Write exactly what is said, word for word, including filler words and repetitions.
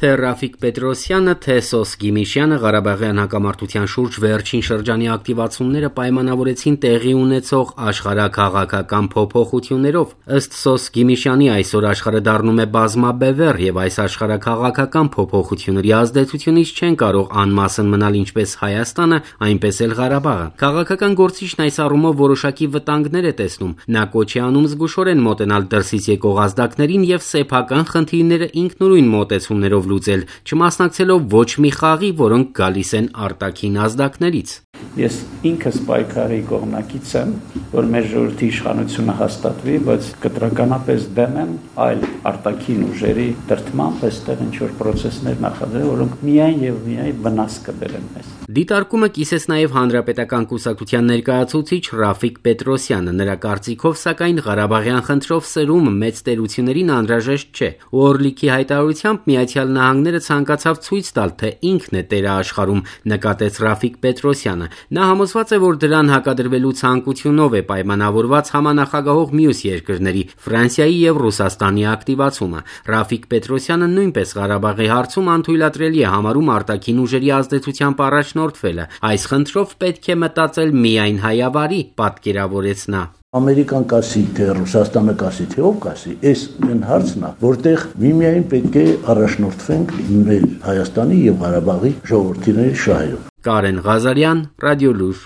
Թե Ռաֆիկ Պետրոսյանը, թե Սոս Գիմիշյանը Ղարաբաղյան հակամարտության շուրջ վերջին շրջանի ակտիվացումները պայմանավորեցին տեղի ունեցող աշխարհաքաղաքական փոփոխություններով։ Ըստ Սոս Գիմիշյանի, այսօր աշխարհը դառնում է բազմաբևեռ, եւ այս աշխարհաքաղաքական փոփոխությունների ազդեցությունից չեն կարող անմասն մնալ ինչպես Հայաստանը, այնպես էլ Ղարաբաղը։ Քաղաքական գործիչն այս առումով որոշակի վտանգներ է տեսնում։ Նա կոչ է անում զգուշորեն մոտենալ դրսից եկող ազդակներին եւ սեփական խնդիրները ինքնուրույն մոտեցումներով լուծել, չմասնակցելով ոչ մի խաղի, որոնք գալիս են արտաքին ազդակներից։ Ես ինքս պայքարի կողմնակից եմ, որ մեր ժողովրդի իշխանությունը հաստատվի, բայց կտրականապես դեմ եմ այլ արտաքին ուժերի դրդմամբ այստեղ ինչ-որ պրոցեսներ նախադրել, որոնք միայն եւ միայն վնաս կբերեն մեզ։ Դիտարկումը կիսեց նաև Հանրապետական կուսակցության ներկայացուցիչ Ռաֆիկ Պետրոսյանը։ Նրա կարծիքով, սակայն, Ղարաբաղյան խնդրով սրում մեծ տերություններին անհրաժեշտ չէ։ Օրլիքի հայտարարությամբ Միացյալ Նահանգները ցանկացավ ցույց տալ, թե ինքն է տերը աշխարհում, նկատեց Ռաֆիկ Պետրոսյանը։ Նա համոզված է, որ դրան հակադրվելու ցանկությունով է պայմանավորված համանախագահող մյուս երկրների՝ Ֆրանսիայի եւ Ռուսաստանի ակտիվացումը։ Ռաֆիկ Պետրոսյանը նույնպես Ղարաբաղի հարցում անթույլատրելի է համարում արտաքին ուժերի ազդեցությամբ առաջնորդվելը։ Այս խնդրով պետք է մտածել միայն հայավարի, պատկերավորեց նա։ Ամերիկան կասի, թե Ռուսաստանը կասի, թե ով կասի, այս այն հարցն է, որտեղ միմիայն պետք է առաջնորդվենք մեր Հայաստանի եւ Ղարաբաղի ժողովրդիների շահերով։ Կարեն Ղազարյան, Ռադիոլուր։